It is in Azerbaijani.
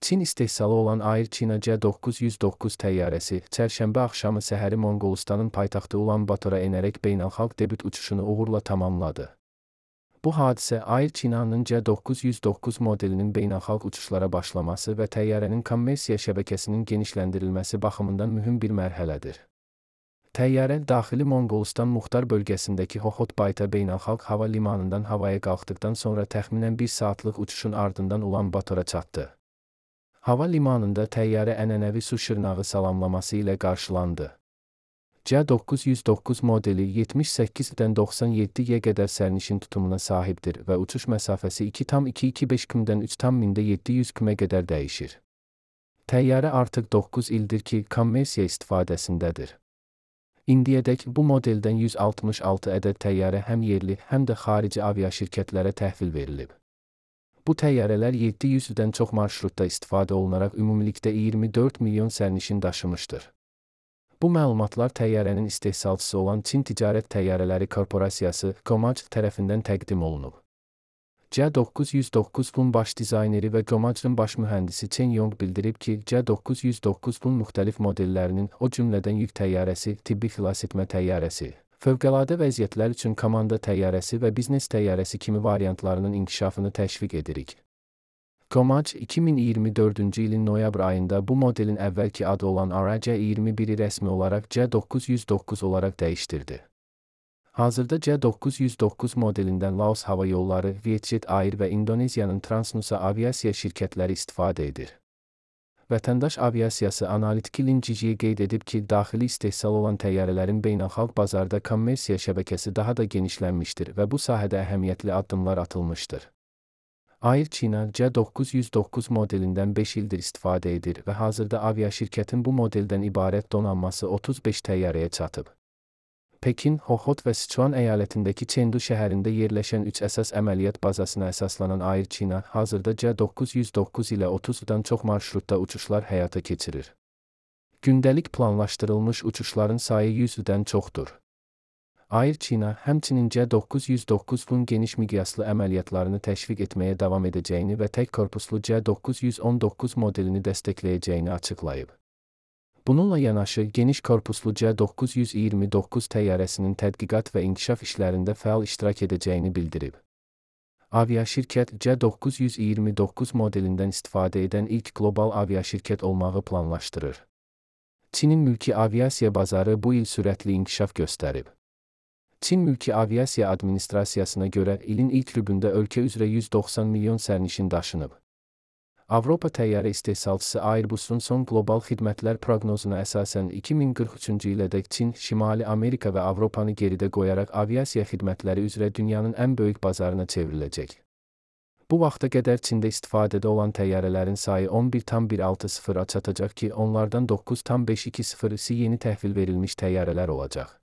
Çin istehsalı olan Air China C909 təyyarəsi çərşənbə axşamı səhəri Monqolistanın paytaxtı Ulan Batora enərək beynəlxalq debüt uçuşunu uğurla tamamladı. Bu hadisə Air China'nın C909 modelinin beynəlxalq uçuşlara başlaması və təyyarənin kommersiya şəbəkəsinin genişləndirilməsi baxımından mühüm bir mərhələdir. Təyyarə daxili Monqolistan Muxtar bölgəsindəki Xokhotbayta beynəlxalq hava limanından havaya qalxdıqdan sonra təxminən 1 saatlıq uçuşun ardından Ulan Batora çatdı. Hava limanında təyyarə ənənəvi su şırnağı salamlaması ilə qarşılandı. C909 modeli 78-dən 97-yə qədər sərnişin tutumuna sahibdir və uçuş məsafəsi 2,225 km-dən 3,700 km qədər dəyişir. Təyyarə artıq 9 ildir ki, kommersiya istifadəsindədir. İndiyədək bu modeldən 166 ədəd təyyarə həm yerli, həm də xarici aviaşirkətlərə təhvil verilib. Bu təyyarələr 700-dən çox marşrutda istifadə olunaraq ümumilikdə 24 milyon sərnişin daşımışdır. Bu məlumatlar təyyarənin istehsalçısı olan Çin Ticarət Təyyarələri Korporasiyası (COMAC) tərəfindən təqdim olunub. C909-un baş dizayneri və COMAC-ın baş mühəndisi Chen Yong bildirib ki, C909-un müxtəlif modellərinin, o cümlədən yük təyyarəsi, tibbi xilasetmə təyyarəsi, fövqəladə vəziyyətlər üçün komanda təyyarəsi və biznes təyyarəsi kimi variantlarının inkişafını təşviq edirik. COMAC 2024-cü ilin noyabr ayında bu modelin əvvəlki adı olan RJ-21-i rəsmi olaraq C909 olaraq dəyişdirdi. Hazırda C909 modelindən Laos Hava Yolları, Vietjet Air və İndoneziyanın Transnusa aviasiya şirkətləri istifadə edir. Vətəndaş aviasiyası analitiki Lin Jijiye qeyd edib ki, daxili istehsal olan təyyarələrin beynəlxalq bazarda kommersiya şəbəkəsi daha da genişlənmişdir və bu sahədə əhəmiyyətli addımlar atılmışdır. Air China C909 modelindən 5 ildir istifadə edir və hazırda aviaşirkətin bu modeldən ibarət donanması 35 təyyarəyə çatıb. Pekin, Xokhot və Sichuan əyalətindəki Chengdu şəhərində yerləşən 3 əsas əməliyyat bazasına əsaslanan Air China hazırda C909 ilə 30-dan çox marşrutda uçuşlar həyata keçirir. Gündəlik planlaşdırılmış uçuşların sayı 100-dən çoxdur. Air China həmçinin C909-un geniş miqyaslı əməliyyatlarını təşviq etməyə davam edəcəyini və tək korpuslu C919 modelini dəstəkləyəcəyini açıqlayıb. Bununla yanaşı, geniş korpuslu C929 təyyarəsinin tədqiqat və inkişaf işlərində fəal iştirak edəcəyini bildirib. Aviaşirkət C929 modelindən istifadə edən ilk qlobal aviaşirkət olmağı planlaşdırır. Çinin mülki aviasiya bazarı bu il sürətli inkişaf göstərib. Çin Mülki Aviasiya Administrasiyasına görə ilin ilk rübündə ölkə üzrə 190 milyon sərnişin daşınıb. Avropa təyyarə istehsalçısı Airbus'un son qlobal xidmətlər proqnozuna əsasən 2043-cü ilədək Çin, Şimali Amerika və Avropanı geridə qoyaraq aviasiya xidmətləri üzrə dünyanın ən böyük bazarına çevriləcək. Bu vaxta qədər Çində istifadədə olan təyyarələrin sayı 11,160-a çatacaq ki, onlardan 9,520-si yeni təhvil verilmiş təyyarələr olacaq.